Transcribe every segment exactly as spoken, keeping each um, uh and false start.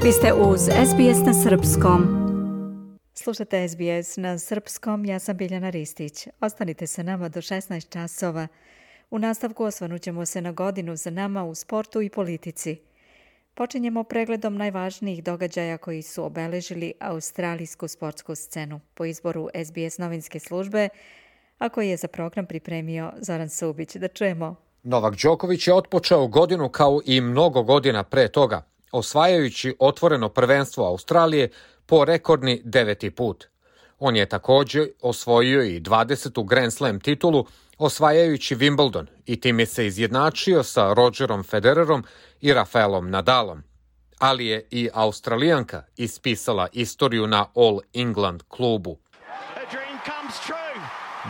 Vi ste uz S B S na srpskom. Slušate S B S na srpskom, ja sam Biljana Ristić. Ostanite sa nama do šesnaest časova. U nastavku osvrnut ćemo se na godinu za nama u sportu i politici. Počinjemo pregledom najvažnijih događaja koji su obeležili australijsku sportsku scenu po izboru S B S novinske službe, a koji je za program pripremio Zoran Subić. Da čujemo. Novak Đoković je otpočeo godinu kao i mnogo godina pre toga, osvajajući otvoreno prvenstvo Australije po rekordni deveti put. On je također osvojio i dvadesetu Grand Slam titulu, osvajajući Wimbledon i time se izjednačio sa Rogerom Federerom i Rafaelom Nadalom. Ali je i Australijanka ispisala istoriju na All England klubu.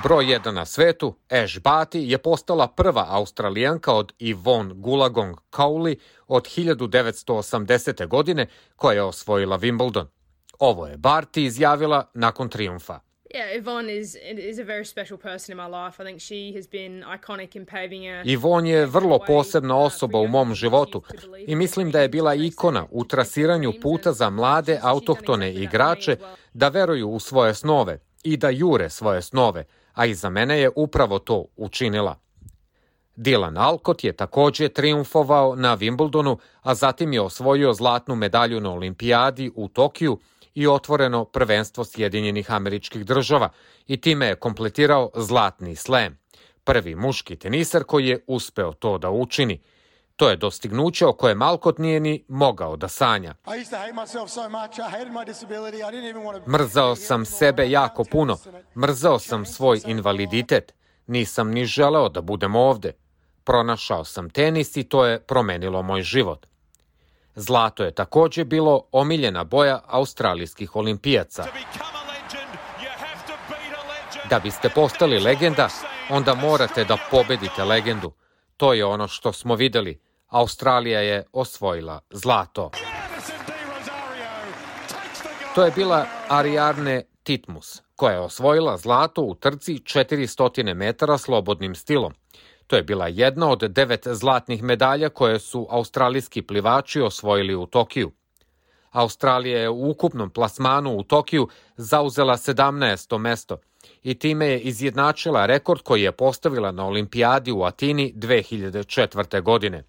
Broj jedan na svetu, Ash Barty, je postala prva Australijanka od Yvonne Goolagong Cowley od hiljadu devetsto osamdesete. godine koja je osvojila Wimbledon. Ovo je Barty izjavila nakon trijumfa. Yeah, Yvonne is is a very special person in my life. I think she has been iconic in paving a Yvonne je vrlo posebna osoba u mom životu i mislim da je bila ikona u trasiranju puta za mlade autohtone igrače da veruju u svoje snove i da jure svoje snove, a i za mene je upravo to učinila. Dylan Alcott je također trijumfovao na Wimbledonu, a zatim je osvojio zlatnu medalju na olimpijadi u Tokiju i otvoreno prvenstvo Sjedinjenih Američkih Država i time je kompletirao zlatni slam. Prvi muški teniser koji je uspeo to da učini. To je dostignuće o kojem Alcott nije ni mogao da sanja. Mrzao sam sebe jako puno, mrzao sam svoj invaliditet, nisam ni želeo da budem ovde. Pronašao sam tenis i to je promenilo moj život. Zlato je također bilo omiljena boja australijskih olimpijaca. Da biste postali legenda, onda morate da pobedite legendu. To je ono što smo videli. Australija je osvojila zlato. To je bila Ariarne Titmus, koja je osvojila zlato u trci četiristo metara slobodnim stilom. To je bila jedna od devet zlatnih medalja koje su australijski plivači osvojili u Tokiju. Australija je u ukupnom plasmanu u Tokiju zauzela sedamnaesto mesto i time je izjednačila rekord koji je postavila na olimpijadi u Atini dve hiljade četvrte. godine.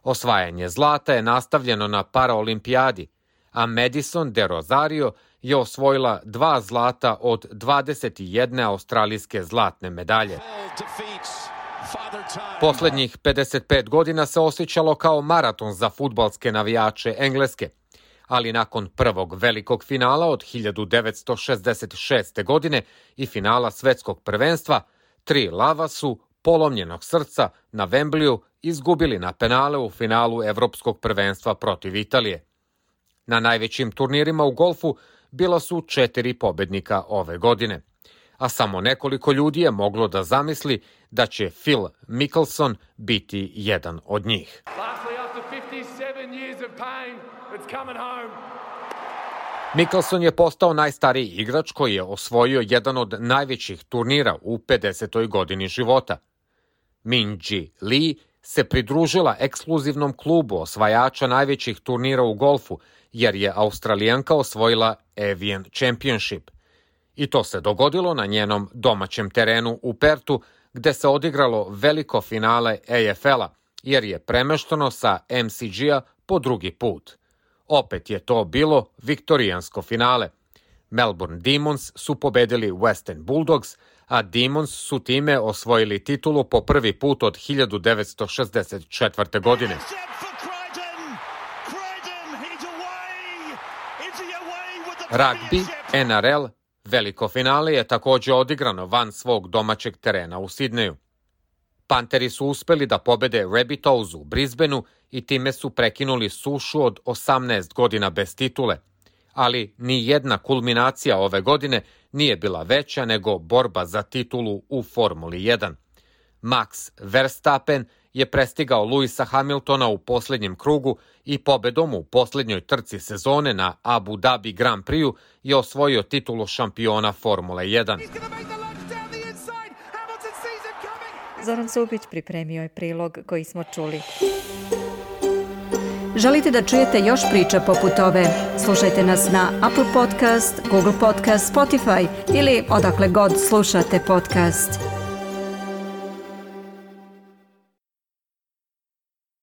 Osvajanje zlata je nastavljeno na paraolimpijadi, a Madison de Rosario je osvojila dva zlata od dvadeset jedne australijske zlatne medalje. Poslednjih pedeset pet godina se osjećalo kao maraton za fudbalske navijače Engleske, ali nakon prvog velikog finala od hiljadu devetsto šezdeset šeste. godine i finala svetskog prvenstva, tri lava su polomljenog srca na Wembleyu izgubili na penale u finalu evropskog prvenstva protiv Italije. Na najvećim turnirima u golfu bila su četiri pobednika ove godine, a samo nekoliko ljudi je moglo da zamisli da će Phil Mickelson biti jedan od njih. Mickelson je postao najstariji igrač koji je osvojio jedan od najvećih turnira u pedesetoj godini života. Minjee Lee se pridružila ekskluzivnom klubu osvajača najvećih turnira u golfu, jer je Australijanka osvojila Evian Championship. I to se dogodilo na njenom domaćem terenu u Pertu, gde se odigralo veliko finale A F L-a, jer je premešteno sa M C G-a po drugi put. Opet je to bilo viktorijansko finale. Melbourne Demons su pobedili Western Bulldogs, a Demons su time osvojili titulu po prvi put od hiljadu devetsto šezdeset četvrte. godine. Rugby, N R L, veliko finale je također odigrano van svog domaćeg terena u Sidneju. Panteri su uspeli da pobede Rabbitohs u Brisbaneu i time su prekinuli sušu od osamnaest godina bez titule. Ali ni jedna kulminacija ove godine nije bila veća nego borba za titulu u Formuli jedan. Max Verstappen je prestigao Lewisa Hamiltona u posljednjem krugu i pobedom u posljednjoj trci sezone na Abu Dhabi Grand Prix-u je osvojio titulu šampiona Formule jedan. Zoran Subić pripremio je prilog koji smo čuli. Želite da čujete još priča poput ove? Slušajte nas na Apple Podcast, Google Podcast, Spotify ili odakle god slušate podcast.